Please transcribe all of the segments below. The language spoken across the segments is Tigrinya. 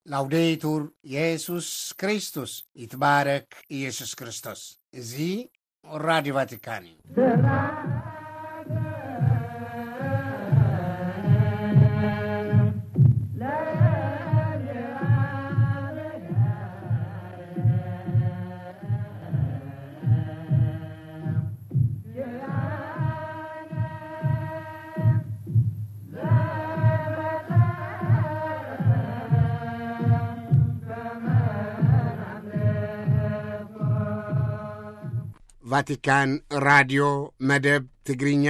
ላውዴቱር የሱስ ክርስቶስ፣ ይትባረክ ኢየሱስ ክርስቶስ። እዚ ራዲዮ ቫቲካን እዩ። ቫቲካን ራድዮ መደብ ትግርኛ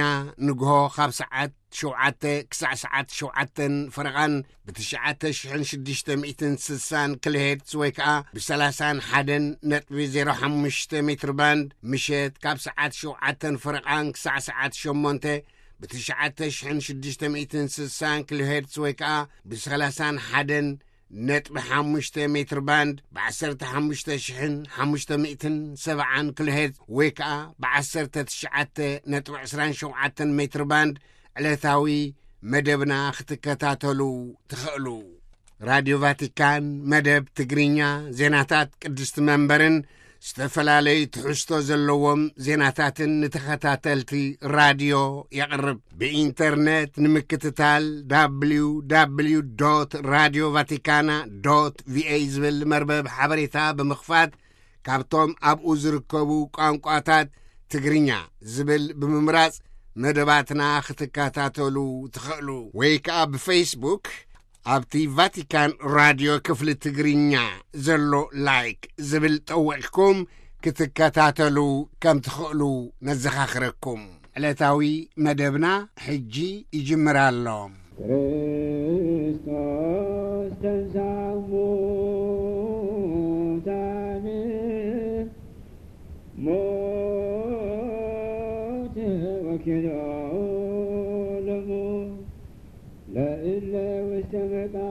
ንግሆ ካብ ሰዓት ሸውዓተ ክሳዕ ሰዓት ሸውዓተን ፈረቓን ብትሽዓተ ሽሕን ሽዱሽተ ሚእትን ስሳን ኪሎሄርትዝ ወይ ከኣ ብሰላሳን ሓደን ነጥቢ ዜሮ ሓሙሽተ ሜትር ባንድ፣ ምሸት ካብ ሰዓት ሸውዓተን ፈረቓን ክሳዕ ሰዓት ሸሞንተ ብትሽዓተ ሽሕን ሽዱሽተ ሚእትን ስሳን ኪሎሄርትዝ ወይ ከኣ ብሰላሳን ሓደን ነጥቢ ሓሙሽተ ሜትር ባንድ፣ ብዓሰርተ ሓሙሽተ ሽሕን ሓሙሽተ ሚእትን ሰብዓን ኪሎሄርትዝ ወይ ከኣ ብዓሰርተ ትሽዓተ ነጥቢ ዕስራን ሸውዓተን ሜትር ባንድ ዕለታዊ መደብና ክትከታተሉ ትኽእሉ። ራድዮ ቫቲካን መደብ ትግርኛ፣ ዜናታት ቅድስቲ መንበርን ዝተፈላለዩ ትሕዝቶ ዘለዎም ዜናታትን ንተኸታተልቲ ራድዮ የቕርብ። ብኢንተርነት ንምክትታል፣ www radio vaticana va ዝብል መርበብ ሓበሬታ ብምኽፋት፣ ካብቶም ኣብኡ ዝርከቡ ቋንቋታት ትግርኛ ዝብል ብምምራጽ መደባትና ክትከታተሉ ትኽእሉ። ወይ ከኣ ብፌስቡክ ኣብቲ ቫቲካን ራድዮ ክፍሊ ትግርኛ ዘሎ ላይክ ዝብል ጠዊቕኩም ክትከታተሉ ከም ትኽእሉ ነዘኻኽረኩም። ዕለታዊ መደብና ሕጂ ይጅምር ኣሎ። ክርስቶስ ተንሥአ እሙታን፣ ሞት ወኪልኦ ለሞት፣ ለእለ ውስተ መቃብር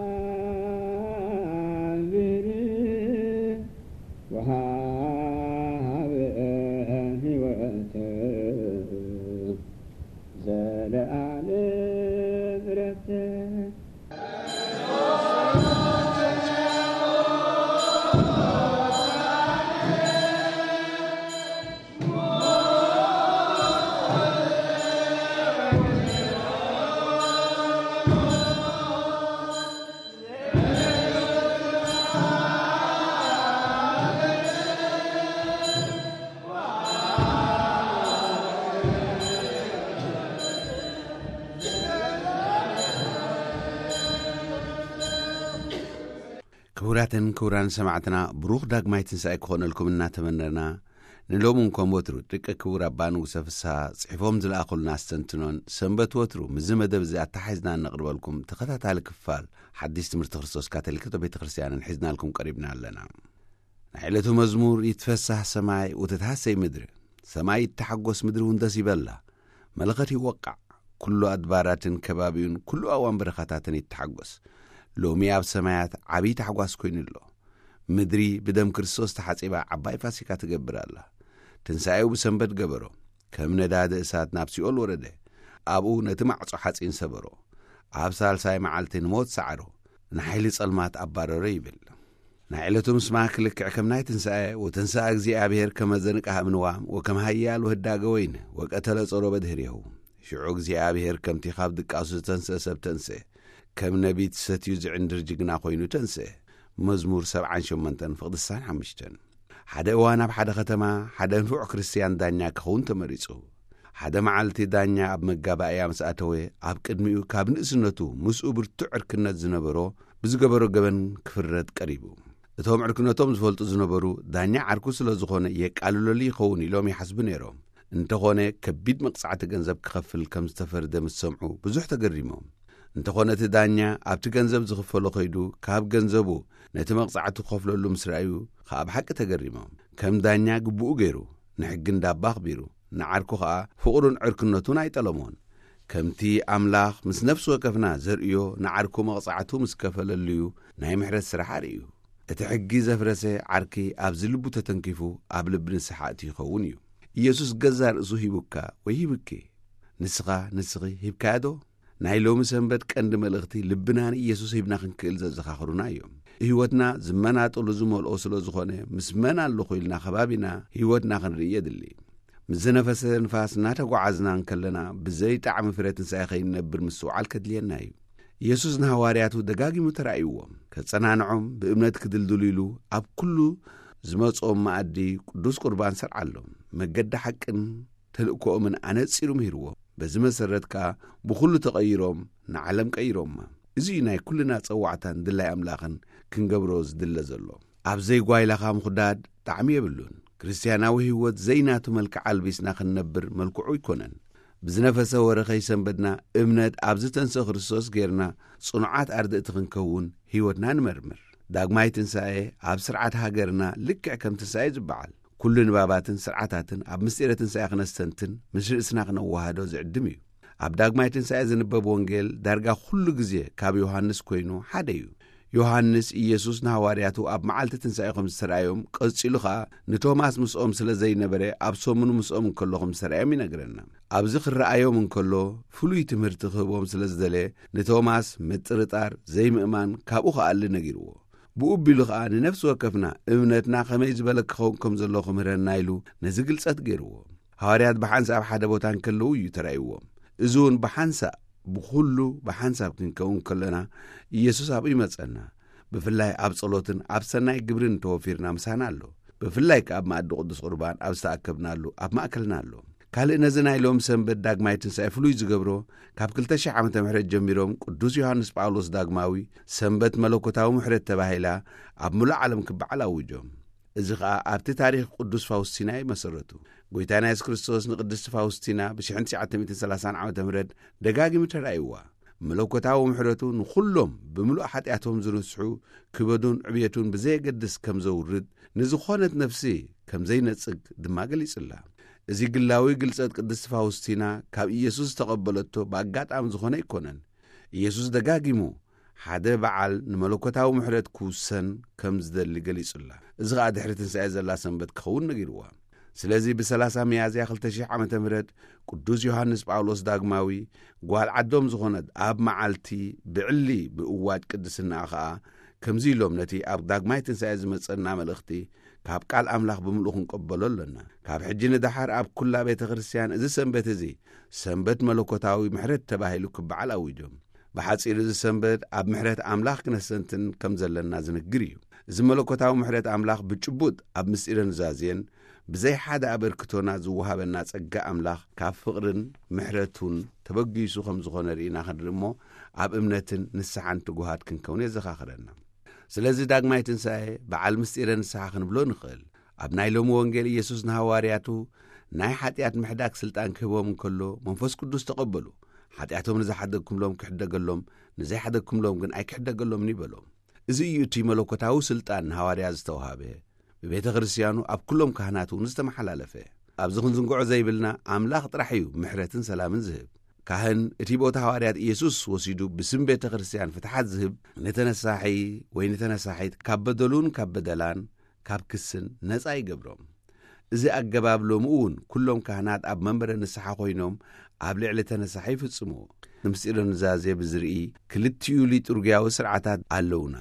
ወሃበ ሕይወተ ዘለዓለም ዕረፍተ። ክቡራትን ክቡራን ሰማዕትና፣ ብሩኽ ዳግማይ ትንሳኤ ክኾነልኩም እናተመነና፣ ንሎምን ከም ወትሩ ደቂ ክቡር ኣባ ንጉሰ ፍስሃ ጽሒፎም ዝለኣኹልና ኣስተንትኖን፣ ሰንበት ወትሩ ምስዚ መደብ እዚ ኣተሓሒዝና እነቕርበልኩም ተኸታታሊ ክፋል ሓድሽ ትምህርቲ ክርስቶስ ካቶሊካዊት ቤተ ክርስቲያንን ሒዝናልኩም ቀሪብና ኣለና። ናይ ዕለቱ መዝሙር፣ ይትፈሳህ ሰማይ ወተትሃሰይ ምድሪ፣ ሰማይ ይተሓጎስ ምድሪ እውን ደስ ይበላ፣ መለኸት ይወቃዕ፣ ኩሉ ኣድባራትን ከባቢኡን ኩሉ ኣዋን በረኻታትን ይተሓጎስ። ሎሚ ኣብ ሰማያት ዓብዪ ታሕጓስ ኮይኑ ኣሎ። ምድሪ ብደም ክርስቶስ ተሓጺባ ዓባይ ፋሲካ ትገብር ኣላ። ትንሳኤኡ ብሰንበት ገበሮ። ከም ነዳዲ እሳት ናብ ሲኦል ወረደ። ኣብኡ ነቲ ማዕጾ ሓጺን ሰበሮ። ኣብ ሳልሳይ መዓልቲ ንሞት ሰዓሮ። ንሓይሊ ጸልማት ኣባረሮ ይብል። ናይ ዕለቱ ምስማዕ ክልክዕ ከም ናይ ትንሳኤ፣ ወተንስአ እግዚኣብሔር ከመ ዘንቅህ እምንዋም ወከም ሃያል ወህዳገ ወይን ወቀተለ ጾሮ በድህሬሁ። ሽዑ እግዚኣብሔር ከምቲ ካብ ድቃሱ ዝተንስአ ሰብ ተንስአ። ከም ነቢት ሰትዩ ዝዕንድር ጅግና ኮይኑ ተንስአ። መዝሙር ሰብዓን ሸሞንተን ፍቕዲ ስሳን ሓሙሽተን። ሓደ እዋን ኣብ ሓደ ከተማ ሓደ ንፉዕ ክርስትያን ዳኛ ክኸውን ተመሪጹ። ሓደ መዓልቲ ዳኛ ኣብ መጋባእያ ምስ ኣተወ፣ ኣብ ቅድሚኡ ካብ ንእስነቱ ምስኡ ብርቱዕ ዕርክነት ዝነበሮ ብዝገበሮ ገበን ክፍረድ ቀሪቡ። እቶም ዕርክነቶም ዝፈልጡ ዝነበሩ፣ ዳኛ ዓርኩ ስለ ዝኾነ የቃልለሉ ይኸውን ኢሎም ይሓስቡ ነይሮም። እንተኾነ ከቢድ መቕጻዕቲ ገንዘብ ክኸፍል ከም ዝተፈርደ ምስ ሰምዑ ብዙሕ ተገሪሞም። እንተኾነ እቲ ዳኛ ኣብቲ ገንዘብ ዝኽፈሎ ከይዱ ካብ ገንዘቡ ነቲ መቕጻዕቲ ክኸፍለሉ ምስ ረኣዩ ኸኣ ብሓቂ ተገሪሞም። ከም ዳኛ ግቡኡ ገይሩ፣ ንሕጊ እንዳባ ኣኽቢሩ፣ ንዓርኩ ኸኣ ፍቕሩን ዕርክነቱን ኣይጠለሞን። ከምቲ ኣምላኽ ምስ ነፍሲ ወከፍና ዘርእዮ ንዓርኩ መቕጻዕቱ ምስ ከፈለሉዩ ናይ ምሕረት ስራሕ ኣርእዩ። እቲ ሕጊ ዘፍረሰ ዓርኪ ኣብዚ ልቡ ተተንኪፉ ኣብ ልቢ ንስሓ እትዩ ይኸውን እዩ። ኢየሱስ ገዛ ርእሱ ሂቡካ ወይ ሂብኪ። ንስኻ ንስኺ ሂብካዮ ዶ? ናይ ሎሚ ሰንበት ቀንዲ መልእኽቲ ልብና ንኢየሱስ ሂብና ክንክእል ዘዘኻኽሩና እዮም። ህይወትና ዝመናጠሉ ዝመልኦ ስለ ዝኾነ፣ ምስ መን ኣለኹ ኢልና ከባቢና ህይወትና ክንርኢ የድሊ። ምስ ዝነፈሰ ንፋስ እናተጓዓዝና እንከለና፣ ብዘይ ጣዕሚ ፍረ ትንሳኤ ከይንነብር ምስትውዓል ከድልየና እዩ። ኢየሱስ ንሃዋርያቱ ደጋጊሙ ተራእይዎም፣ ከጸናንዖም፣ ብእምነት ክድልድሉ ኢሉ ኣብ ኩሉ ዝመጾም መኣዲ ቅዱስ ቁርባን ሰርዓሎም። መገዲ ሓቅን ተልእኮኦምን ኣነጺሩ ምሂርዎም። በዚ መሰረት ከኣ ብኹሉ ተቐይሮም ንዓለም ቀይሮማ። እዚ እዩ ናይ ኩልና ጸዋዕታን ድላይ ኣምላኽን ክንገብሮ ዝድለ ዘሎ። ኣብ ዘይጓይላኻ ምኹዳድ ጣዕሚ የብሉን። ክርስትያናዊ ህይወት ዘይናቱ መልክዕ ኣልቢስና ክንነብር መልክዑ ኣይኮነን። ብዝነፈሰ ወረ ከይሰንበድና እምነት ኣብ ዝተንስአ ክርስቶስ ጌርና ጽኑዓት ኣርድእቲ ክንከውን ህይወትና ንመርምር። ዳግማይ ትንሳኤ ኣብ ስርዓት ሃገርና ልክዕ ከም ትንሳኤ ዝበዓል ኩሉ ንባባትን ስርዓታትን ኣብ ምስጢረ ትንሳኤ ክነስተንትን ምስ ርእስና ክነወሃዶ ዝዕድም እዩ። ኣብ ዳግማይ ትንሳኤ ዝንበብ ወንጌል ዳርጋ ኩሉ ግዜ ካብ ዮሃንስ ኮይኑ ሓደ እዩ። ዮሃንስ ኢየሱስ ንሃዋርያቱ ኣብ መዓልቲ ትንሳኤ ከም ዝተራእዮም፣ ቀጺሉ ኸኣ ንቶማስ ምስኦም ስለ ዘይነበረ ኣብ ሰሙኑ ምስኦም እንከሎ ከም ዝተራእዮም ይነግረና። ኣብዚ ክረኣዮም እንከሎ ፍሉይ ትምህርቲ ክህቦም ስለ ዝደለ፣ ንቶማስ ምጥርጣር፣ ዘይምእማን ካብኡ ክኣሊ ነጊርዎ። ብኡ ኣቢሉ ኸኣ ንነፍሲ ወከፍና እምነትና ከመይ ዝበለ ክኸውን ከም ዘለዎ ክምህረና ኢሉ ነዚ ግልጸት ገይርዎ። ሃዋርያት ብሓንሳብ ሓደ ቦታ እንከለዉ እዩ ተራእይዎም። እዚ እውን ብሓንሳብ፣ ብኹሉ ብሓንሳብ ክንከውን ከለና ኢየሱስ ኣብኡ ይመጸና። ብፍላይ ኣብ ጸሎትን ኣብ ሰናይ ግብርን ተወፊርና ምሳና ኣሎ። ብፍላይ ከኣ ኣብ መኣዲ ቅዱስ ቁርባን ኣብ ዝተኣከብናሉ ኣብ ማእከልና ኣሎ። ካልእ ነዚ ናይ ሎም ሰንበት ዳግማይ ትንሳኤ ፍሉይ ዝገብሮ፣ ካብ ክልተ ሺሕ ዓመተ ምሕረት ጀሚሮም ቅዱስ ዮሃንስ ጳውሎስ ዳግማዊ ሰንበት መለኮታዊ ምሕረት ተባሂላ ኣብ ምሉእ ዓለም ክበዓል ኣውጆም። እዚ ኸኣ ኣብቲ ታሪኽ ቅዱስ ፋውስቲና እዩ መሰረቱ። ጎይታና የሱስ ክርስቶስ ንቅድስቲ ፋውስቲና ብ ሽሕን ትሽዓተ ሚእትን ሰላሳን ዓመተ ምህረት ደጋጊሙ ተራእይዋ። መለኮታዊ ምሕረቱ ንኹሎም ብምሉእ ሓጢኣቶም ዝንስሑ ክበዱን ዕብየቱን ብዘየገድስ ከም ዘውርድ፣ ንዝኾነት ነፍሲ ከም ዘይነጽግ ድማ ገሊጹላ። እዚ ግላዊ ግልጸት ቅድስቲ ፋውስቲና ካብ ኢየሱስ ዝተቐበለቶ ብኣጋጣሚ ዝኾነ ኣይኮነን። ኢየሱስ ደጋጊሙ ሓደ በዓል ንመለኮታዊ ምሕረት ክውሰን ከም ዝደሊ ገሊጹላ። እዚ ኸኣ ድሕሪ ትንሳኤ ዘላ ሰንበት ክኸውን ነጊርዋ። ስለዚ ብ30 ሚያዝያ ክልተ ሺሕ ዓመተ ምህረት ቅዱስ ዮሃንስ ጳውሎስ ዳግማዊ ጓል ዓዶም ዝኾነት ኣብ መዓልቲ ብዕሊ ብእዋጅ ቅድስናኣ ኸኣ ከምዚ ኢሎም ነቲ ኣብ ዳግማይ ትንሳኤ ዝመጸና መልእኽቲ ካብ ቃል ኣምላኽ ብምሉእ ክንቀበሎ ኣሎና። ካብ ሕጂ ንደሓር ኣብ ኩላ ቤተ ክርስቲያን እዚ ሰንበት እዚ ሰንበት መለኮታዊ ምሕረት ተባሂሉ ክበዓል ኣዊጆም። ብሓጺሩ እዚ ሰንበት ኣብ ምሕረት ኣምላኽ ክነስተንትን ከም ዘለና ዝንግር እዩ። እዚ መለኮታዊ ምሕረት ኣምላኽ ብጭቡጥ ኣብ ምስጢረ ኑዛዜን ብዘይ ሓደ ኣበርክቶና ዝወሃበና ጸጋ ኣምላኽ ካብ ፍቕርን ምሕረቱን ተበጊሱ ከም ዝኾነ ርኢና ክንርኢ እሞ ኣብ እምነትን ንስሓን ትጉሃት ክንከውን የዘኻኽረና። ስለዚ ዳግማይ ትንሳኤ በዓል ምስጢረ ንስሓ ክንብሎ ንኽእል። ኣብ ናይ ሎሚ ወንጌል ኢየሱስ ንሃዋርያቱ ናይ ሓጢኣት ምሕዳግ ስልጣን ክህቦም እንከሎ መንፈስ ቅዱስ ተቐበሉ። ሓጢኣቶም ንዝሓደግኩምሎም ክሕደገሎም፣ ንዘይሓደግኩምሎም ግን ኣይክሕደገሎምን ይበሎም። እዚ እዩ እቲ መለኮታዊ ስልጣን ንሃዋርያ ዝተዋሃበ፣ ብቤተ ክርስቲያኑ ኣብ ኩሎም ካህናት እውን ዝተመሓላለፈ። ኣብዚ ክንዝንግዖ ዘይብልና ኣምላኽ ጥራሕ እዩ ምሕረትን ሰላምን ዝህብ። ካህን እቲ ቦታ ሃዋርያት ኢየሱስ ወሲዱ ብስም ቤተ ክርስቲያን ፍትሓት ዝህብ ንተነሳሒ ወይ ንተነሳሒት ካብ በደሉን ካብ በደላን ካብ ክስን ነጻ ይገብሮም። እዚ ኣገባብ ሎሚ እውን ኩሎም ካህናት ኣብ መንበረ ንስሓ ኮይኖም ኣብ ልዕሊ ተነሳሒ ይፍጽምዎ። ንምስጢረ ኑዛዜ ብዝርኢ ክልቲኡ ሊጡርግያዊ ስርዓታት ኣለውና፣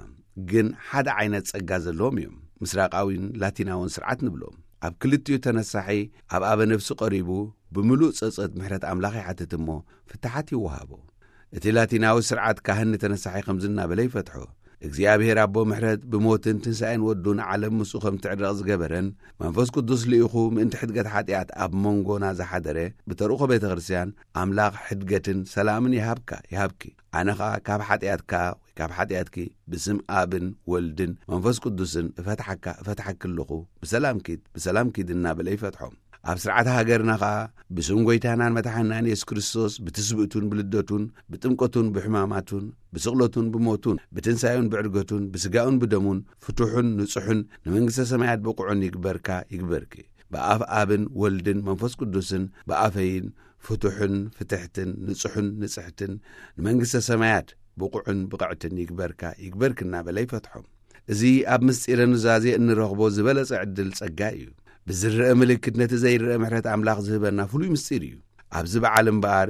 ግን ሓደ ዓይነት ጸጋ ዘለዎም እዮም። ምስራቃዊን ላቲናውን ስርዓት ንብሎም። ኣብ ክልቲኡ ተነሳሒ ኣብ ኣበ ነፍሲ ቀሪቡ ብምሉእ ጸጸት ምሕረት ኣምላኽ ይሓትት እሞ ፍትሓት ይወሃቦ። እቲ ላቲናዊ ስርዓት ካህን ንተነሳሒ ከምዚ እናበለ ይፈትሖ። እግዚኣብሔር ኣቦ ምሕረት ብሞትን ትንሳኤን ወዱ ንዓለም ምስኡ ከም ትዕረቕ ዝገበረን መንፈስ ቅዱስ ልኢኹ ምእንቲ ሕድገት ሓጢኣት ኣብ መንጎና ዝሓደረ ብተርኡኾ ቤተ ክርስቲያን ኣምላኽ ሕድገትን ሰላምን ይሃብካ ይሃብኪ። ኣነ ኸኣ ካብ ሓጢኣትካ ወይ ካብ ሓጢኣትኪ ብስም ኣብን ወልድን መንፈስ ቅዱስን እፈትሓካ እፈትሓኪ ኣለኹ። ብሰላም ኪድ ብሰላም ኪድ እናበለ ይፈትሖም። ኣብ ስርዓተ ሃገርና ኸኣ ብስም ጐይታናን መድሓንናን የሱስ ክርስቶስ ብትስብእቱን ብልደቱን ብጥምቀቱን ብሕማማቱን ብስቕለቱን ብሞቱን ብትንሳኤኡን ብዕርገቱን ብስጋኡን ብደሙን ፍቱሑን ንጹሑን ንመንግስተ ሰማያት ብቑዕን ይግበርካ ይግበርኪ። ብኣፍ ኣብን ወልድን መንፈስ ቅዱስን ብኣፈይን ፍቱሕን ፍትሕትን ንጹሑን ንጽሕትን ንመንግስተ ሰማያት ብቑዕን ብቕዕትን ይግበርካ ይግበርኪ እናበለ ይፈትሖም። እዚ ኣብ ምስጢረ ኑዛዜ እንረኽቦ ዝበለጸ ዕድል ጸጋ እዩ። ብዝረአ ምልክት ነቲ ዘይረአ ምሕረት ኣምላኽ ዝህበና ፍሉይ ምስጢር እዩ። ኣብዚ በዓል እምበኣር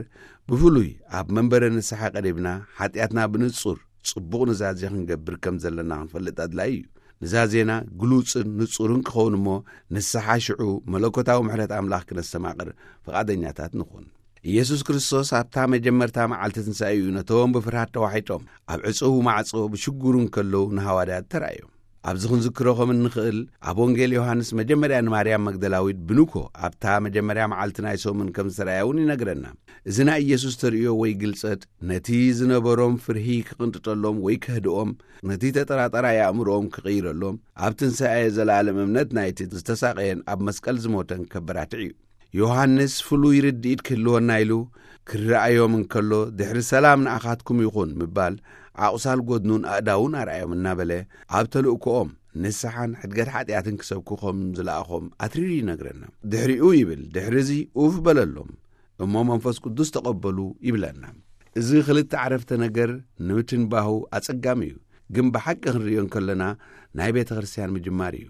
ብፍሉይ ኣብ መንበረ ንስሓ ቀሪብና ሓጢኣትና ብንጹር ጽቡቕ ንዛዜ ክንገብር ከም ዘለና ክንፈልጥ ኣድላዪ እዩ። ንዛዜና ግሉጽን ንጹርን ክኸውን እሞ፣ ንስሓ ሽዑ መለኮታዊ ምሕረት ኣምላኽ ክነስተማቕር ፍቓደኛታት ንኹን። ኢየሱስ ክርስቶስ ኣብታ መጀመርታ መዓልቲ ትንሳኤኡ ነቶም ብፍርሃት ተዋሒጦም ኣብ ዕጹው ማዕጾ ብሽጉሩ እንከለዉ ንሃዋርያት ተራእዮም። ኣብዚ ክንዝክሮ ከም እንኽእል፣ ኣብ ወንጌል ዮሃንስ መጀመርያ ንማርያም መግደላዊት ብንኮ ኣብታ መጀመርያ መዓልቲ ናይ ሰሙን ከም ዝተራእያ እውን ይነግረና። እዚ ናይ ኢየሱስ ተርእዮ ወይ ግልጸት ነቲ ዝነበሮም ፍርሂ ክቕንጥጠሎም ወይ ከህድኦም፣ ነቲ ተጠራጣራይ ኣእምሮኦም ክቕይረሎም፣ ኣብ ትንሳኤ ዘለኣለም እምነት ናይቲ ዝተሳቐየን ኣብ መስቀል ዝሞተን ከበራትዕ እዩ። ዮሃንስ ፍሉይ ርድኢት ክህልወና ኢሉ ክረኣዮም እንከሎ፣ ድሕሪ ሰላም ንኣኻትኩም ይኹን ምባል፣ ኣቑሳል ጎድኑን ኣእዳውን ኣርኣዮም እናበለ፣ ኣብ ተልእኮኦም ንስሓን ሕድገት ሓጢኣትን ክሰብኩ ከም ዝለኣኾም ኣትሪሩ ይነግረና። ድሕሪኡ ይብል፣ ድሕሪ እዚ ኡፍ በለሎም፣ እሞ መንፈስ ቅዱስ ተቐበሉ ይብለና። እዚ ክልተ ዓረፍተ ነገር ንምትንባሁ ኣጸጋሚ እዩ፣ ግን ብሓቂ ክንርእዮ እንከለና ናይ ቤተ ክርስቲያን ምጅማር እዩ።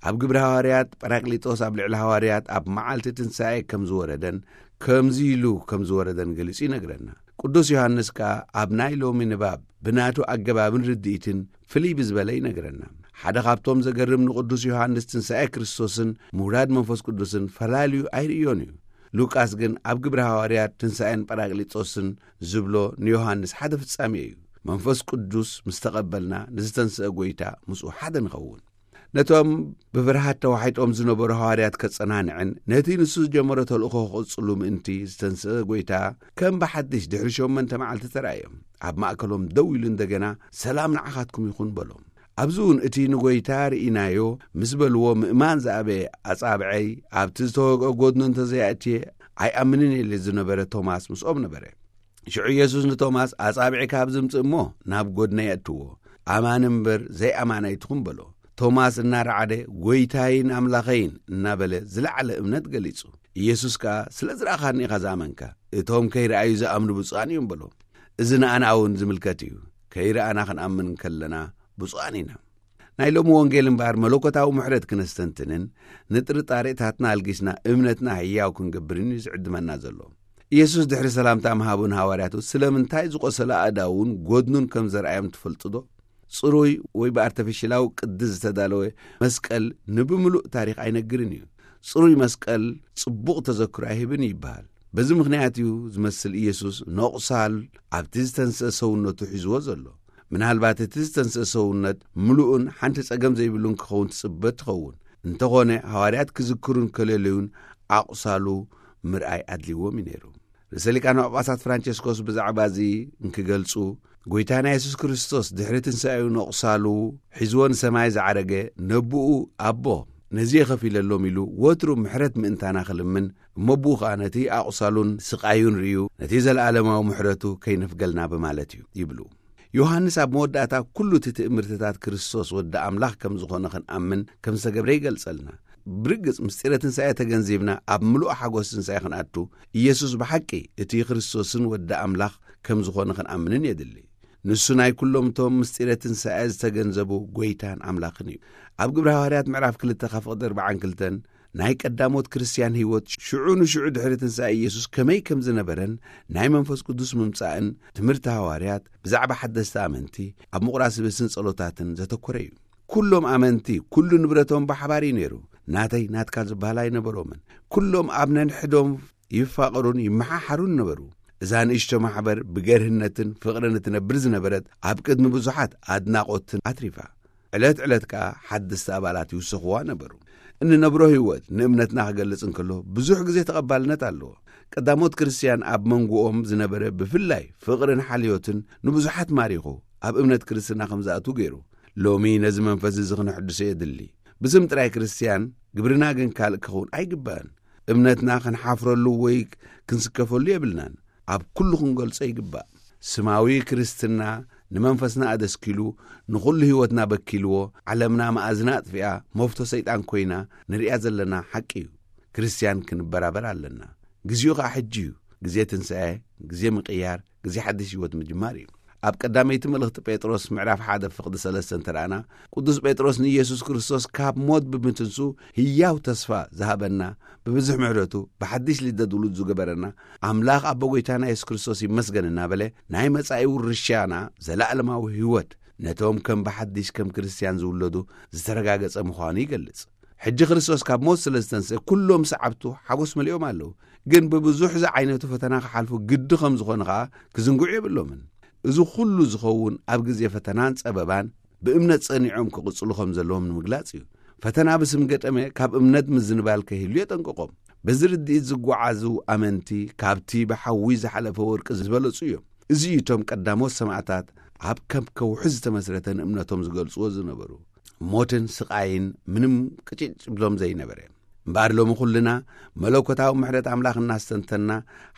ኣብ ግብሪ ሃዋርያት ጳራቅሊጦስ ኣብ ልዕሊ ሃዋርያት ኣብ መዓልቲ ትንሳኤ ከም ዝወረደን ከምዚ ኢሉ ከም ዝወረደን ገሊጹ ይነግረና። ቅዱስ ዮሃንስ ከኣ ኣብ ናይ ሎሚ ንባብ ብናቱ ኣገባብን ርድኢትን ፍልይ ብዝበለ ይነግረና። ሓደ ካብቶም ዘገርም ንቅዱስ ዮሃንስ ትንሳኤ ክርስቶስን ምውራድ መንፈስ ቅዱስን ፈላልዩ ኣይርእዮን እዩ። ሉቃስ ግን ኣብ ግብሪ ሃዋርያት ትንሳኤን ጳራቅሊጦስን ዝብሎ ንዮሃንስ ሓደ ፍጻሜ እዩ። መንፈስ ቅዱስ ምስ ተቐበልና ንዝተንስአ ጐይታ ምስኡ ሓደ ንኸውን። ነቶም ብፍርሃት ተዋሒጦም ዝነበሩ ሃዋርያት ከጸናንዕን ነቲ ንሱ ዝጀመሮ ተልእኾ ክቕጽሉ ምእንቲ ዝተንስአ ጐይታ ከም ብሓድሽ ድሕሪ ሸሞንተ መዓልቲ ተራእዮም። ኣብ ማእከሎም ደው ኢሉ እንደገና ሰላም ንዓኻትኩም ይኹን በሎም። ኣብዚ እውን እቲ ንጐይታ ርኢናዮ ምስ በልዎ ምእማን ዝኣበየ ኣጻብዐይ ኣብቲ ዝተወግአ ጐድኑ እንተዘይኣእትየ ኣይኣምንን ኢሉ ዝነበረ ቶማስ ምስኦም ነበረ። ሽዑ ኢየሱስ ንቶማስ ኣጻብዒ ካብ ዝምጽእ እሞ ናብ ጐድነይ ኣእትዎ፣ ኣማኒ እምበር ዘይኣማኒ ኣይትኹን በሎ። ቶማስ እናረዓደ ጐይታይን ኣምላኸይን እናበለ ዝለዓለ እምነት ገሊጹ። ኢየሱስ ከኣ ስለ ዝረኣኻኒ ኢኻ ዝኣመንካ፣ እቶም ከይረኣዩ ዝኣምኑ ብፁዓን እዮም በሎ። እዚ ንኣና እውን ዝምልከት እዩ። ከይረኣና ክንኣምን ከለና ብፁዓን ኢና። ናይ ሎሚ ወንጌል እምበኣር መለኮታዊ ምሕረት ክነስተንትንን ንጥርጣሬታትና ኣልጊስና እምነትና ህያው ክንገብርን እዩ ዝዕድመና ዘሎ። ኢየሱስ ድሕሪ ሰላምታ ምሃቡ ንሃዋርያቱ ስለምንታይ ዝቖሰለ ኣእዳውን ጐድኑን ከም ዘርኣዮም ትፈልጡ ዶ? ጽሩይ ወይ ብኣርተፊሽላዊ ቅዲ ዝተዳለወ መስቀል ንብምሉእ ታሪኽ ኣይነግርን እዩ። ጽሩይ መስቀል ጽቡቕ ተዘክሮ ኣይህብን እዩ ይበሃል። በዚ ምኽንያት እዩ ዝመስል ኢየሱስ ነቑሳል ኣብቲ ዝተንስአ ሰውነቱ ሒዝዎ ዘሎ። ምናልባት እቲ ዝተንስአ ሰውነት ምሉእን ሓንቲ ጸገም ዘይብሉን ክኸውን ትጽበ ትኸውን። እንተኾነ ሃዋርያት ክዝክሩ እንከለለዩን ኣቑሳሉ ምርኣይ ኣድልዎም እዩ ነይሩ። ርእሰ ሊቃነ ጳጳሳት ፍራንቸስኮስ ብዛዕባ እዚ እንክገልጹ፣ ጐይታና የሱስ ክርስቶስ ድሕሪ ትንሳኤኡ ነቑሳሉ ሒዝዎ ንሰማይ ዝዓረገ ነብኡ ኣቦ ነዚ የኸፊለሎም ኢሉ ወትሩ ምሕረት ምእንታና ክልምን እሞ ብኡ ኸኣ ነቲ ኣቑሳሉን ስቓዩን ርእዩ ነቲ ዘለኣለማዊ ምሕረቱ ከይነፍገልና ብማለት እዩ ይብሉ። ዮሃንስ ኣብ መወዳእታ ኩሉ እቲ ትእምርትታት ክርስቶስ ወዲ ኣምላኽ ከም ዝኾነ ክንኣምን ከም ዝተገብረ ይገልጸልና። ብርግጽ ምስጢረ ትንሳኤ ተገንዚብና ኣብ ምሉእ ሓጎስ ትንሳኤ ክንኣቱ ኢየሱስ ብሓቂ እቲ ክርስቶስን ወዲ ኣምላኽ ከም ዝኾነ ክንኣምንን የድሊ። ንሱ ናይ ኩሎም እቶም ምስጢረ ትንሳኤ ዝተገንዘቡ ጐይታን ኣምላኽን እዩ። ኣብ ግብሪ ሃዋርያት ምዕራፍ ክልተ ካብ ፍቕዲ ኣርባዓን ክልተን ናይ ቀዳሞት ክርስትያን ህይወት ሽዑ ንሽዑ ድሕሪ ትንሳኤ ኢየሱስ ከመይ ከም ዝነበረን ናይ መንፈስ ቅዱስ ምምጻእን ትምህርቲ ሃዋርያት ብዛዕባ ሓደስቲ ኣመንቲ ኣብ ምቑራስ ስብስን ጸሎታትን ዘተኮረ እዩ። ኩሎም ኣመንቲ ኩሉ ንብረቶም ብሓባር እዩ ነይሩ። ናተይ ናትካ ዝበሃል ኣይነበሮምን። ኩሎም ኣብ ነንሕዶም ይፋቐሩን ይመሓሓሩን ነበሩ። እዛ ንእሽቶ ማሕበር ብገርህነትን ፍቕርን እትነብር ዝነበረት ኣብ ቅድሚ ብዙሓት ኣድናቖትን ኣትሪፋ። ዕለት ዕለት ከኣ ሓደስቲ ኣባላት ይውሰኽዋ ነበሩ። እንነብሮ ህይወት ንእምነትና ክገልጽ እንከሎ ብዙሕ ግዜ ተቐባልነት ኣለዎ። ቀዳሞት ክርስትያን ኣብ መንጎኦም ዝነበረ ብፍላይ ፍቕርን ሓልዮትን ንብዙሓት ማሪኹ ኣብ እምነት ክርስትና ከም ዝኣትዉ ገይሩ። ሎሚ ነዚ መንፈስ እዚ ክነሕድሶ የድሊ። ብስም ጥራይ ክርስትያን ግብርና ግን ካልእ ክኸውን ኣይግባእን። እምነትና ክንሓፍረሉ ወይ ክንስከፈሉ የብልናን። ኣብ ኩሉ ክንገልጾ ይግባእ። ስማዊ ክርስትና ንመንፈስና ኣደስኪሉ ንኹሉ ህይወትና በኪልዎ፣ ዓለምና መኣዝና ኣጥፊኣ መፍቶ ሰይጣን ኮይና ንሪኣ ዘለና ሓቂ እዩ። ክርስትያን ክንበራበር ኣለና። ግዜኡ ኸኣ ሕጂ እዩ። ግዜ ትንሳኤ፣ ግዜ ምቕያር፣ ግዜ ሓድሽ ህይወት ምጅማር እዩ። ኣብ ቀዳመይቲ መልእኽቲ ጴጥሮስ ምዕራፍ ሓደ ፍቕዲ ሰለስተ እንተረኣና፣ ቅዱስ ጴጥሮስ ንኢየሱስ ክርስቶስ ካብ ሞት ብምትንሱ ህያው ተስፋ ዝሃበና፣ ብብዙሕ ምሕረቱ ብሓድሽ ልደት ውሉድ ዝገበረና ኣምላኽ ኣቦ ጐይታና የሱስ ክርስቶስ ይመስገን እናበለ፣ ናይ መጻኢ ውርሻና ዘላእለማዊ ህይወት ነቶም ከም ብሓድሽ ከም ክርስትያን ዝውለዱ ዝተረጋገጸ ምዃኑ ይገልጽ። ሕጂ ክርስቶስ ካብ ሞት ስለ ዝተንስአ፣ ኩሎም ሰዓብቱ ሓጎስ መሊኦም ኣለዉ። ግን ብብዙሕ ዝዓይነቱ ፈተና ክሓልፉ ግዲ ከም ዝኾነ ኸኣ ክዝንግዑ የብሎምን። እዚ ኩሉ ዝኸውን ኣብ ግዜ ፈተናን ጸበባን ብእምነት ጸኒዖም ክቕጽሉ ከም ዘለዎም ንምግላጽ እዩ። ፈተና ብስም ገጠመ ካብ እምነት ምዝንባል ከይህሉ የጠንቅቖም። በዚ ርድኢት ዝጓዓዙ ኣመንቲ ካብቲ ብሓዊ ዝሓለፈ ወርቂ ዝበለጹ እዮም። እዚ እዩ እቶም ቀዳሞት ሰማዕታት ኣብ ከም ከውሒ ዝተመስረተ ንእምነቶም ዝገልጽዎ ዝነበሩ። ሞትን ስቓይን ምንም ቅጭጭ ብሎም ዘይነበረ። እምበኣር ሎሚ ኩልና መለኮታዊ ምሕረት ኣምላኽ እናስተንተና፣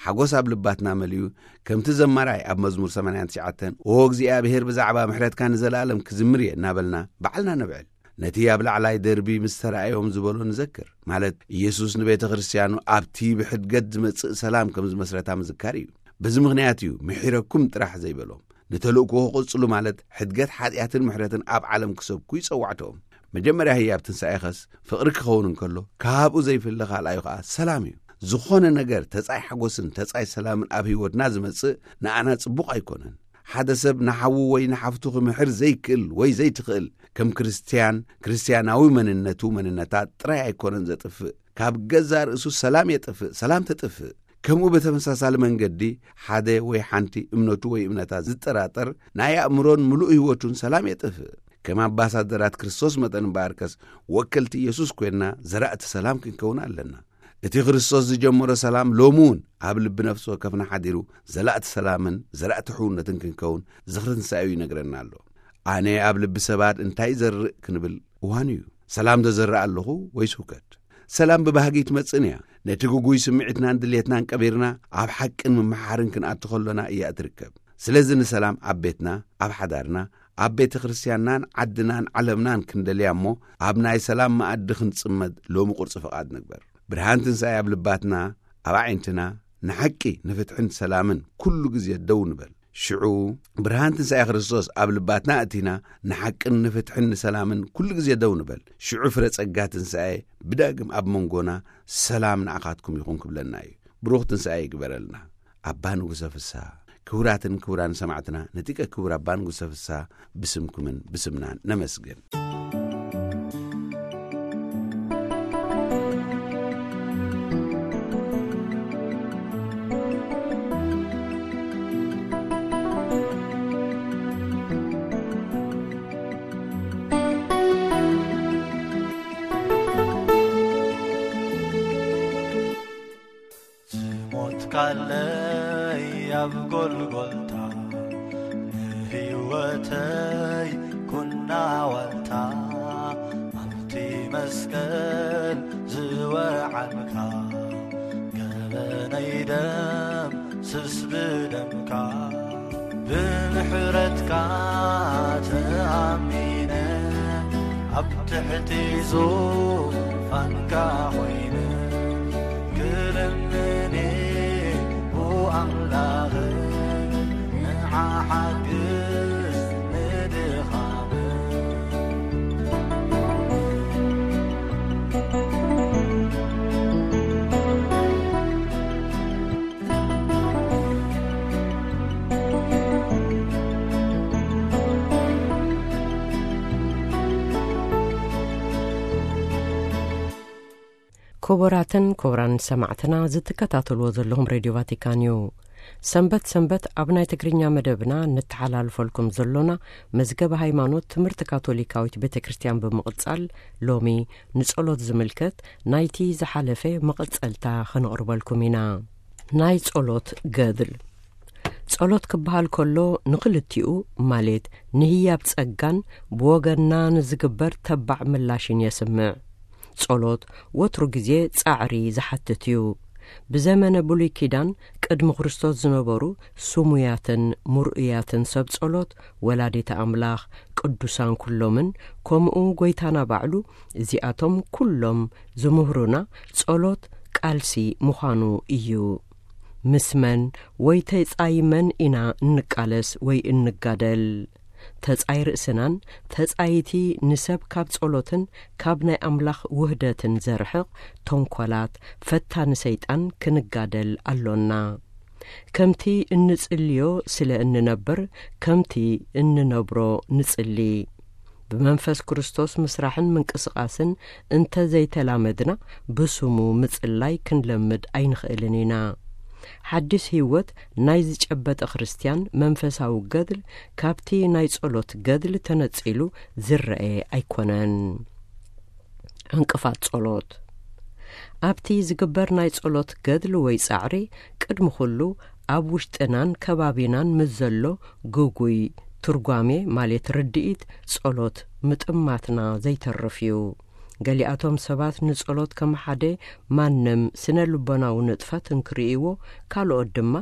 ሓጎስ ኣብ ልባትና መሊኡ፣ ከምቲ ዘማራይ ኣብ መዝሙር ሰማንያን ትሽዓተን "ኦ እግዚኣብሔር፣ ብዛዕባ ምሕረትካ ንዘለኣለም ክዝምር እየ" እናበልና ባዕልና ነብዕል። ነቲ ኣብ ላዕላይ ደርቢ ምስ ተራእዮም ዝበሎ ንዘክር፣ ማለት ኢየሱስ ንቤተ ክርስትያኑ ኣብቲ ብሕድገት ዝመጽእ ሰላም ከም ዝመስረታ ምዝካር እዩ። በዚ ምኽንያት እዩ "ምሒረኩም" ጥራሕ ዘይበሎም። ንተልእኮ ክቕጽሉ፣ ማለት ሕድገት ሓጢኣትን ምሕረትን ኣብ ዓለም ክሰብኩ ይጸዋዕቶም። መጀመርያ ህያብ ትንሳኤኸስ ፍቕሪ ክኸውን እንከሎ፣ ካብኡ ዘይፍለ ካልኣዩ ኸኣ ሰላም እዩ። ዝኾነ ነገር ተጻይ ሓጎስን ተጻይ ሰላምን ኣብ ህይወትና ዝመጽእ ንኣና ጽቡቕ ኣይኮነን። ሓደ ሰብ ንሓዉ ወይ ንሓፍቱ ክምሕር ዘይክእል ወይ ዘይትኽእል፣ ከም ክርስትያን፣ ክርስትያናዊ መንነቱ፣ መንነታ ጥራይ ኣይኮነን ዘጥፍእ፣ ካብ ገዛእ ርእሱ ሰላም የጥፍእ፣ ሰላም ተጥፍእ። ከምኡ ብተመሳሳሊ መንገዲ፣ ሓደ ወይ ሓንቲ እምነቱ ወይ እምነታ ዝጠራጠር፣ ናይ ኣእምሮን ምሉእ ህይወቱን ሰላም የጥፍእ። ከም ኣምባሳደራት ክርስቶስ መጠን እምበኣርከስ፣ ወከልቲ ኢየሱስ ኮይንና ዘራእቲ ሰላም ክንከውን ኣለና። እቲ ክርስቶስ ዝጀመሮ ሰላም ሎሚ እውን ኣብ ልቢ ነፍሲ ወከፍና ሓዲሩ፣ ዘላእቲ ሰላምን ዘራእቲ ሕውነትን ክንከውን ዝኽሪ ትንሳኤኡ ይነግረና ኣሎ። ኣነ ኣብ ልቢ ሰባት እንታይ ይዘርእ ክንብል እዋኑ እዩ። ሰላም ዶ ዘርእ ኣለኹ ወይስ ሁከት? ሰላም ብባህጊ ትመጽእን እያ። ነቲ ግጉይ ስምዒትናን ድሌትናን ቀቢርና ኣብ ሓቅን ምምሓርን ክንኣቱ ከሎና እያ እትርከብ። ስለዚ ንሰላም ኣብ ቤትና፣ ኣብ ሓዳርና፣ ኣብ ቤተ ክርስትያንናን ዓድናን ዓለምናን ክንደልያ እሞ፣ ኣብ ናይ ሰላም መኣዲ ክንጽመድ ሎሚ ቁርጺ ፍቓድ ንግበር። ብርሃን ትንሳኤ ኣብ ልባትና፣ ኣብ ኣዒንትና፣ ንሓቂ፣ ንፍትሕን ሰላምን ኩሉ ግዜ ደው ንበል። ሽዑ ብርሃን ትንሳኤ ክርስቶስ ኣብ ልባትና ኣእቲና፣ ንሓቅን ንፍትሕን ንሰላምን ኩሉ ግዜ ደው ንበል። ሽዑ ፍረ ጸጋ ትንሳኤ ብዳግም ኣብ መንጎና፣ "ሰላም ንዓኻትኩም ይኹን" ክብለና እዩ። ብሩኽ ትንሳኤ ይግበረልና። ኣባ ንጉሰ ፍስሃ። ክቡራትን ክቡራን ሰማዕትና፣ ነቲቀ ክቡር ኣባ ንጉሰ ፍስሃ ብስምኩምን ብስምናን ነመስግን። ዝሞትካለይ ኣብ ጎልጎልታ፣ ንህይወተይ ኩና ዋልታ፣ ኣብቲ መስቀል ዝወዓልካ፣ ገበነይ ደምስስ ብደምካ። ብምሕረትካ ተኣሚነ፣ ኣብ ትሕቲ ዙፋንካ ኮይነ፣ ክልምን ቡ ኣምላኽ፣ ንዓ ሓግዝ ንድኻም። ክቡራትን ክቡራን ሰማዕትና፣ ዝትከታተልዎ ዘለኹም ሬድዮ ቫቲካን እዩ። ሰንበት ሰንበት ኣብ ናይ ትግርኛ መደብና ንተሓላልፈልኩም ዘሎና መዝገብ ሃይማኖት ትምህርቲ ካቶሊካዊት ቤተ ክርስቲያን ብምቕጻል፣ ሎሚ ንጸሎት ዝምልከት ናይቲ ዝሓለፈ መቐጸልታ ኸነቕርበልኩም ኢና። ናይ ጸሎት ገድል። ጸሎት ክበሃል ከሎ ንኽልቲኡ፣ ማለት ንህያብ ጸጋን ብወገንና ንዝግበር ተባዕ ምላሽን የስምዕ። ጸሎት ወትሩ ግዜ ጻዕሪ ዝሓትት እዩ። ብዘመነ ብሉይ ኪዳን ቅድሚ ክርስቶስ ዝነበሩ ስሙያትን ምርኡያትን ሰብ ጸሎት፣ ወላዲተ ኣምላኽ፣ ቅዱሳን ኩሎምን፣ ከምኡ ጐይታና ባዕሉ፣ እዚኣቶም ኩሎም ዝምህሩና ጸሎት ቃልሲ ምዃኑ እዩ። ምስ መን ወይ ተጻይ መን ኢና እንቃለስ ወይ እንጋደል? ተጻይ ርእስናን ተጻይቲ ንሰብ ካብ ጸሎትን ካብ ናይ ኣምላኽ ውህደትን ዘርሕቕ ተንኮላት ፈታኒ ሰይጣን ክንጋደል ኣሎና። ከምቲ እንጽልዮ ስለ እንነብር፣ ከምቲ እንነብሮ ንጽሊ። ብመንፈስ ክርስቶስ ምስራሕን ምንቅስቓስን እንተ ዘይተላመድና፣ ብስሙ ምጽላይ ክንለምድ ኣይንኽእልን ኢና። ሓድሽ ህይወት ናይ ዝጨበጠ ክርስትያን መንፈሳዊ ገድል ካብቲ ናይ ጸሎት ገድል ተነጺሉ ዝረኤ ኣይኮነን። ዕንቅፋት ጸሎት። ኣብቲ ዝግበር ናይ ጸሎት ገድል ወይ ጻዕሪ፣ ቅድሚ ኩሉ ኣብ ውሽጥናን ከባቢናን ምስ ዘሎ ግጉይ ትርጓሜ፣ ማለት ርድኢት ጸሎት፣ ምጥማትና ዘይተርፍ እዩ። ገሊኣቶም ሰባት ንጸሎት ከም ሓደ ማንም ስነ ልቦናዊ ንጥፈት እንክርእይዎ፣ ካልኦት ድማ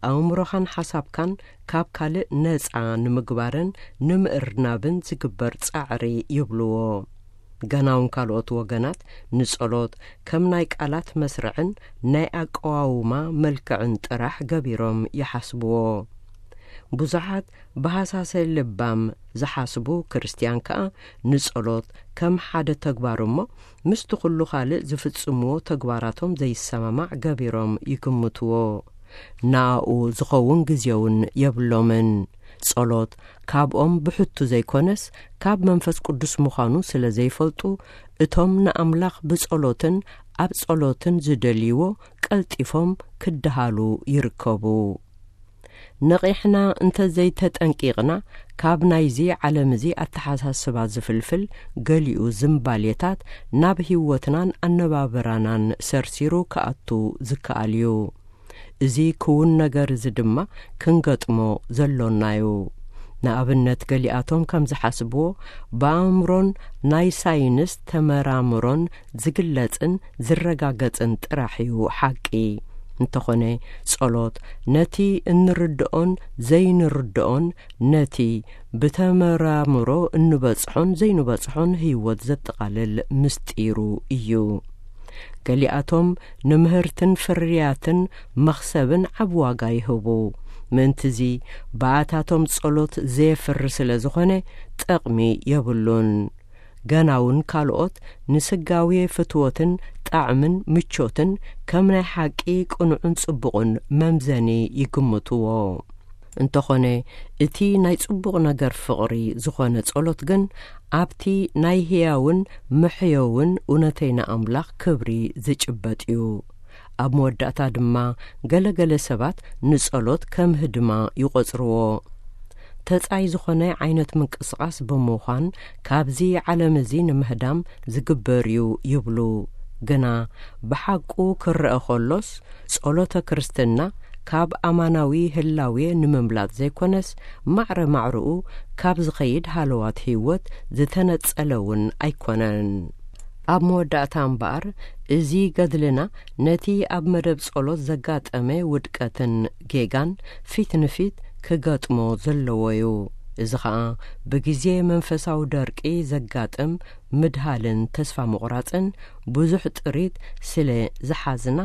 ኣእምሮኻን ሓሳብካን ካብ ካልእ ነጻ ንምግባርን ንምእርናብን ዝግበር ጻዕሪ ይብልዎ። ገና እውን ካልኦት ወገናት ንጸሎት ከም ናይ ቃላት መስርዕን ናይ ኣቀዋውማ መልክዕን ጥራሕ ገቢሮም ይሓስብዎ። ብዙሓት ብሃሳሰ ልባም ዝሓስቡ ክርስትያን ከኣ ንጸሎት ከም ሓደ ተግባር እሞ፣ ምስቲ ኩሉ ካልእ ዝፍጽምዎ ተግባራቶም ዘይሰማማዕ ገቢሮም ይግምትዎ። ንኣኡ ዝኸውን ግዜ እውን የብሎምን። ጸሎት ካብኦም ብሕቱ ዘይኮነስ፣ ካብ መንፈስ ቅዱስ ምዃኑ ስለ ዘይፈልጡ፣ እቶም ንኣምላኽ ብጸሎትን ኣብ ጸሎትን ዝደልይዎ ቀልጢፎም ክደሃሉ ይርከቡ። ነቒሕና እንተ ዘይተጠንቂቕና፣ ካብ ናይዚ ዓለም እዚ ኣተሓሳስባ ዝፍልፍል ገሊኡ ዝምባሌታት ናብ ህይወትናን ኣነባብራናን ሰርሲሩ ክኣቱ ዝከኣል እዩ። እዚ ክውን ነገር እዚ ድማ ክንገጥሞ ዘሎና እዩ። ንኣብነት፣ ገሊኣቶም ከም ዝሓስብዎ፣ ብኣእምሮን ናይ ሳይንስ ተመራምሮን ዝግለጽን ዝረጋገጽን ጥራሕ እዩ ሓቂ። እንተኾነ፣ ጸሎት ነቲ እንርድኦን ዘይንርድኦን፣ ነቲ ብተመራምሮ እንበጽሖን ዘይንበጽሖን ህይወት ዘጠቓልል ምስጢሩ እዩ። ገሊኣቶም ንምህርትን ፍርያትን መኽሰብን ዓቢ ዋጋ ይህቡ። ምእንትዚ፣ ብኣታቶም ጸሎት ዘየፍሪ ስለ ዝኾነ፣ ጠቕሚ የብሉን። ገና እውን ካልኦት ንስጋዊ ፍትወትን ጣዕምን ምቾትን ከም ናይ ሓቂ ቅኑዕን ጽቡቕን መምዘኒ ይግምትዎ። እንተኾነ፣ እቲ ናይ ጽቡቕ ነገር ፍቕሪ ዝኾነ ጸሎት ግን ኣብቲ ናይ ህያውን መሕየውን እውነተይና ኣምላኽ ክብሪ ዝጭበጥ እዩ። ኣብ መወዳእታ ድማ ገለ ገለ ሰባት ንጸሎት ከም ህድማ ይቖጽርዎ። ተጻይ ዝኾነ ዓይነት ምንቅስቓስ ብምዃን ካብዚ ዓለም እዚ ንምህዳም ዝግበር እዩ ይብሉ። ግና ብሓቁ ክረአ ከሎስ፣ ጸሎተ ክርስትና ካብ ኣማናዊ ህላዌ ንምምላጥ ዘይኮነስ፣ ማዕረ ማዕረኡ ካብ ዝኸይድ ሃለዋት ህይወት ዝተነጸለ እውን ኣይኮነን። ኣብ መወዳእታ እምበኣር፣ እዚ ገድልና ነቲ ኣብ መደብ ጸሎት ዘጋጠመ ውድቀትን ጌጋን ፊት ንፊት ክገጥሞ ዘለዎ እዩ። እዚ ኸኣ ብግዜ መንፈሳዊ ደርቂ ዘጋጥም ምድሃልን ተስፋ ምቑራጽን ብዙሕ ጥሪት ስለ ዝሓዝና፣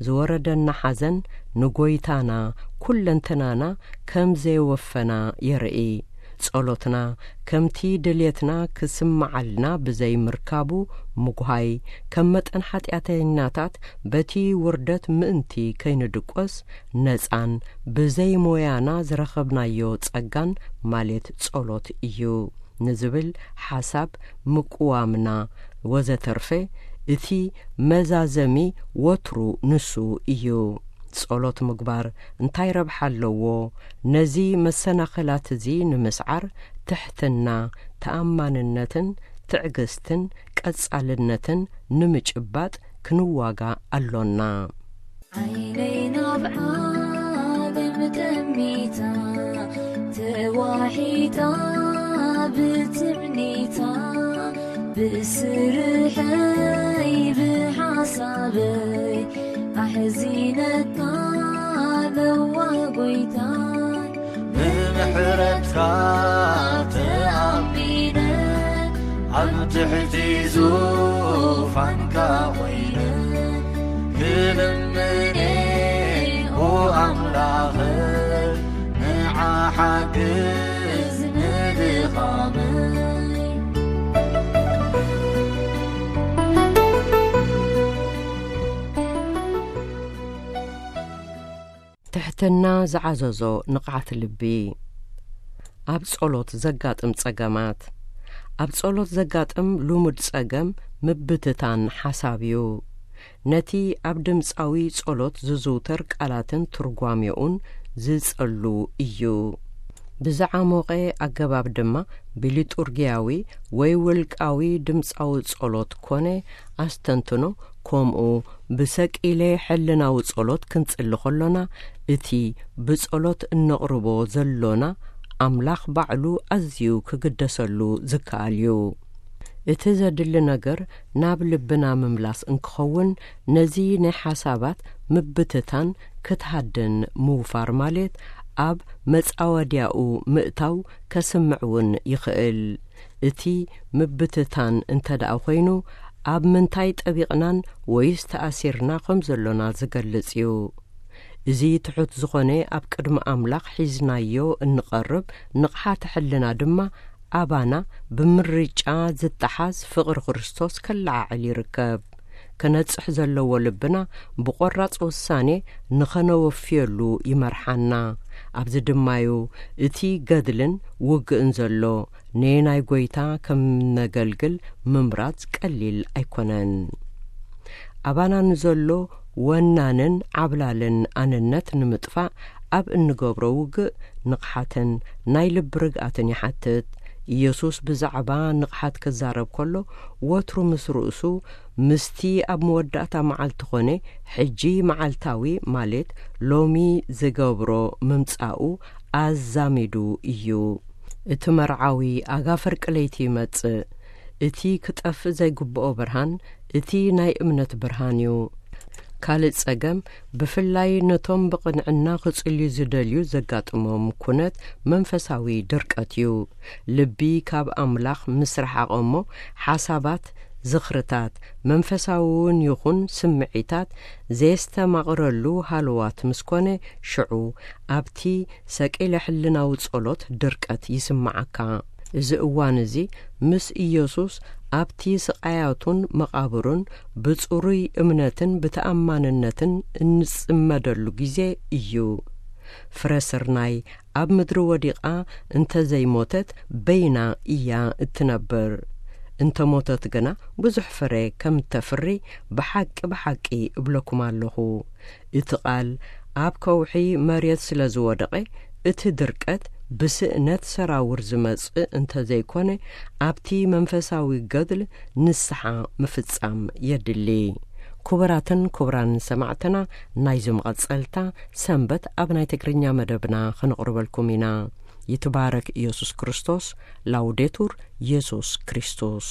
ዝወረደና ሓዘን ንጎይታና ኩለንተናና ከም ዘየወፈና የርኢ። ጸሎትና ከምቲ ድልየትና ክስምዓልና ብዘይምርካቡ ምጉሃይ፣ ከም መጠን ሓጢኣተኛታት በቲ ውርደት ምእንቲ ከይንድቆስ፣ ነጻን ብዘይ ሞያና ዝረኸብናዮ ጸጋን፣ ማለት ጸሎት እዩ ንዝብል ሓሳብ ምቅዋምና ወዘተርፈ፣ እቲ መዛዘሚ ወትሩ ንሱ እዩ። ጸሎት ምግባር እንታይ ረብሓ ኣለዎ? ነዚ መሰናኽላት እዚ ንምስዓር፣ ትሕትና፣ ተኣማንነትን ትዕግስትን ቀጻልነትን ንምጭባጥ ክንዋጋእ ኣሎና። ዓይነይ ናብ ዓለም ጠሚታ፣ ተዋሒጣ ብትምኒታ፣ ብስርሐይ ብሓሳበይ ኣሕዚነታ ለዋህ ጎይታ። ብምሕረትካ ተኣሚነ፣ ኣብ ትሕቲ ዙፋንካ ኮይነ፣ ክልምኔ፣ ኦ ኣምላኸይ ንዓ ሓግዝ ንድኻመይ። ትሕትና ዝዓዘዞ ንቕዓት ልቢ። ኣብ ጸሎት ዘጋጥም ጸገማት። ኣብ ጸሎት ዘጋጥም ልሙድ ጸገም ምብትታን ሓሳብ እዩ። ነቲ ኣብ ድምጻዊ ጸሎት ዝዝውተር ቃላትን ትርጓሜኡን ዝጸሉ እዩ። ብዝዓሞቐ ኣገባብ ድማ ብሊጡርጊያዊ ወይ ውልቃዊ ድምጻዊ ጸሎት ኮነ ኣስተንትኖ፣ ከምኡ ብሰቂለ ሕልናዊ ጸሎት ክንጽሊ ከሎና፣ እቲ ብጸሎት እነቕርቦ ዘሎና ኣምላኽ ባዕሉ ኣዝዩ ክግደሰሉ ዝከኣል እዩ። እቲ ዘድሊ ነገር ናብ ልብና ምምላስ እንክኸውን፣ ነዚ ናይ ሓሳባት ምብትታን ክትሃድን ምውፋር ማለት ኣብ መጻወድያኡ ምእታው ከስምዕ እውን ይኽእል። እቲ ምብትታን እንተ ደኣ ኾይኑ፣ ኣብ ምንታይ ጠቢቕናን ወይስ ተኣሲርና ከም ዘሎና ዝገልጽ እዩ። እዚ ትሑት ዝኾነ ኣብ ቅድሚ ኣምላኽ ሒዝናዮ እንቐርብ ንቕሓተ ሕልና ድማ ኣባና ብምርጫ ዝተሓዝ ፍቕሪ ክርስቶስ ከለዓዕል ይርከብ። ከነጽሕ ዘለዎ ልብና ብቖራጽ ውሳኔ ንኸነወፍየሉ ይመርሓና። ኣብዚ ድማዩ እቲ ገድልን ውግእን ዘሎ። ንናይ ጐይታ ከም ነገልግል ምምራጽ ቀሊል ኣይኮነን። ኣባና ንዘሎ ወናንን ዓብላልን ኣንነት ንምጥፋእ ኣብ እንገብሮ ውግእ ንቕሓትን ናይ ልቢ ርግኣትን ይሓትት። ኢየሱስ ብዛዕባ ንቕሓት ክዛረብ ከሎ፣ ወትሩ ምስ ርእሱ፣ ምስቲ ኣብ መወዳእታ መዓልቲ ኾነ፣ ሕጂ መዓልታዊ፣ ማለት ሎሚ ዝገብሮ ምምጻኡ ኣዛሚዱ እዩ። እቲ መርዓዊ ኣጋ ፍርቂ ለይቲ ይመጽእ። እቲ ክጠፍእ ዘይግብኦ ብርሃን፣ እቲ ናይ እምነት ብርሃን እዩ። ካልእ ጸገም፣ ብፍላይ ነቶም ብቕንዕና ክጽልዩ ዝደልዩ ዘጋጥሞም ኩነት መንፈሳዊ ድርቀት እዩ። ልቢ ካብ ኣምላኽ ምስ ረሓቐ እሞ፣ ሓሳባት፣ ዝኽርታት፣ መንፈሳዊ እውን ይኹን ስምዒታት ዘየስተማቕረሉ ሃለዋት ምስ ኮነ፣ ሽዑ ኣብቲ ሰቂለ ሕልናዊ ጸሎት ድርቀት ይስምዓካ። እዚ እዋን እዚ ምስ ኢየሱስ ኣብቲ ስቓያቱን መቓብሩን ብጽሩይ እምነትን ብተኣማንነትን እንጽመደሉ ግዜ እዩ። ፍረ ስርናይ ኣብ ምድሪ ወዲቓ እንተ ዘይሞተት በይና እያ እትነብር። እንተ ሞተት ግና ብዙሕ ፍረ ከም እተፍሪ ብሓቂ ብሓቂ እብለኩም ኣለኹ። እቲ ቃል ኣብ ከውሒ መሬት ስለ ዝወደቐ፣ እቲ ድርቀት ብስእነት ሰራውር ዝመጽእ እንተ ዘይኮነ፣ ኣብቲ መንፈሳዊ ገድል ንስሓ ምፍጻም የድሊ። ክቡራትን ክቡራን ሰማዕትና፣ ናይዚ መቐጸልታ ሰንበት ኣብ ናይ ትግርኛ መደብና ከነቕርበልኩም ኢና። ይትባረክ ኢየሱስ ክርስቶስ። ላውዴቱር ኢየሱስ ክርስቶስ።